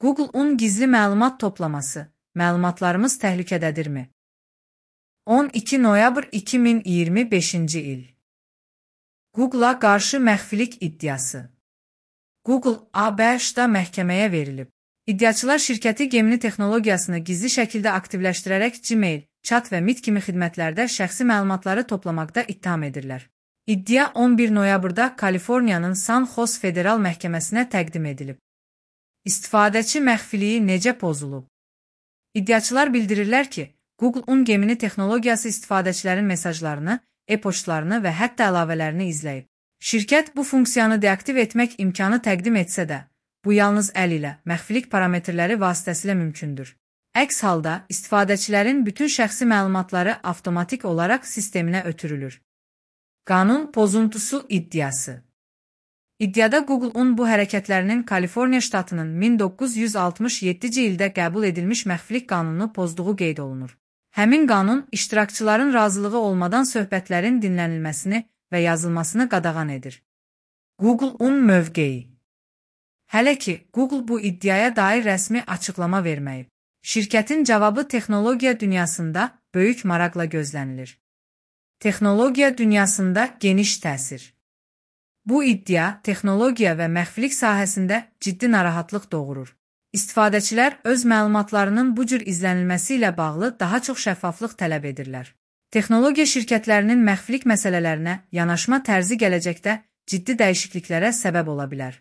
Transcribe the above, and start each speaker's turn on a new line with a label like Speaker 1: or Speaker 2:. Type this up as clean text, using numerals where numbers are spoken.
Speaker 1: Google-un gizli məlumat toplaması. Məlumatlarımız təhlükədədirmi? 12 noyabr 2025-ci il. Google-a qarşı məxfilik iddiası. Google ABŞ-da məhkəməyə verilib. İddiaçılar şirkəti Gemini texnologiyasını gizli şəkildə aktivləşdirərək Gmail, chat və Meet kimi xidmətlərdə şəxsi məlumatları toplamaqda ittiham edirlər. İddia 11 noyabrda Kaliforniyanın San Jose Federal Məhkəməsinə təqdim edilib. İstifadəçi məxfiliyi necə pozulub? İddiaçılar bildirirlər ki, Google-un Gemini texnologiyası istifadəçilərin mesajlarını, e-poçtlarını və hətta əlavələrini izləyib. Şirkət bu funksiyanı deaktiv etmək imkanı təqdim etsə də, bu yalnız əl ilə, məxfilik parametrləri vasitəsilə mümkündür. Əks halda, istifadəçilərin bütün şəxsi məlumatları avtomatik olaraq sisteminə ötürülür. Qanun pozuntusu iddiası. İddiada Google-un bu hərəkətlərinin Kaliforniya ştatının 1967-ci ildə qəbul edilmiş məxfilik qanununu pozduğu qeyd olunur. Həmin qanun, iştirakçıların razılığı olmadan söhbətlərin dinlənilməsini və yazılmasını qadağan edir. Google-un mövqeyi. Hələ ki, Google bu iddiaya dair rəsmi açıqlama verməyib. Şirkətin cavabı texnologiya dünyasında böyük maraqla gözlənilir. Texnologiya dünyasında geniş təsir. Bu iddia texnologiya və məxfilik sahəsində ciddi narahatlıq doğurur. İstifadəçilər öz məlumatlarının bu cür izlənilməsi ilə bağlı daha çox şəffaflıq tələb edirlər. Texnologiya şirkətlərinin məxfilik məsələlərinə yanaşma tərzi gələcəkdə ciddi dəyişikliklərə səbəb ola bilər.